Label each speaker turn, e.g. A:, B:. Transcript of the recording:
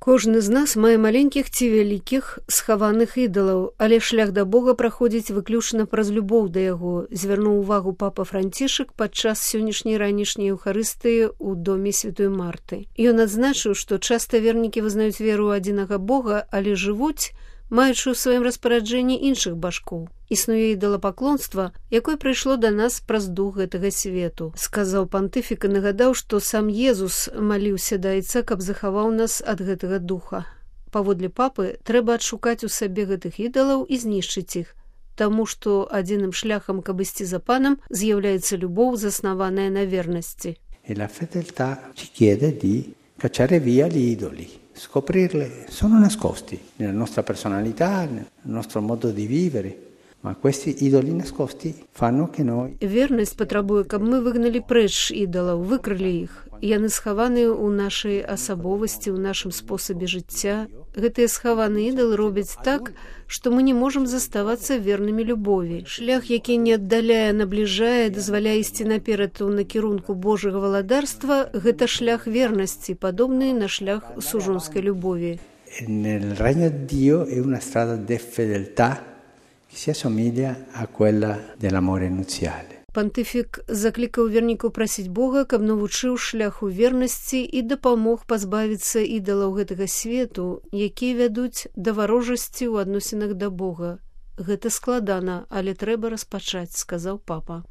A: Кожны з нас мае маленькіх ці вялікіх схаваных ідалаў, але шлях да Бога праходзіць выключна праз любоў да яго, звярнуў увагу папа Францішак падчас сённяшняй ранішняй еўхарыстыі ў доме святой Марты. Ён адзначыў, што часта вернікі вызнаюць веру ў адзінага Бога, але жывуць, маючы ў сваім распараджэнні іншых башкоў. Існуе ідалапаклонства, якое прыйшло да нас праз дух гэтага свету. Сказаў пантыфік і нагадаў, што сам Езус маліўся да Айца, каб захаваў нас ад гэтага духа. Паводле папы, трэба адшукаць у сабе гэтых ідалаў і знішчыць іх, таму што адзіным шляхам, каб ісці за панам, з'яўляецца любоў, заснаваная на вернасці.
B: E la fedeltà ci chiede di cacciare via gli idoli. Scoprirli sono nascosti nella nostra personalità, nel nostro modo di vivere, ma questi idoli nascosti fanno che noi...
A: Вернасць патрабуе, каб мы выгналі прэч ідалаў, выкрылі іх. Яны схаваны ў нашай асабовасці, ў нашым спосабе жыцця. Гэтыя схаваныя ідалы робяць так, што мы не можам заставацца вернымі любові. Шлях, які не аддаляе, набліжае, дазваляе ісці наперад у накірунку Божага валадарства, гэта шлях вернасці, падобны на шлях сужонскай любові.
B: Nel regno di Dio è una strada di fedeltà che si assomiglia a quella dell'amore nuziale.
A: Пантыфік заклікаў вернікаў прасіць Бога, каб навучыў шляху вернасці і дапамог пазбавіцца ідалаў гэтага свету, якія вядуць да варожасці ў адносінах да Бога. Гэта складана, але трэба распачаць, сказаў папа.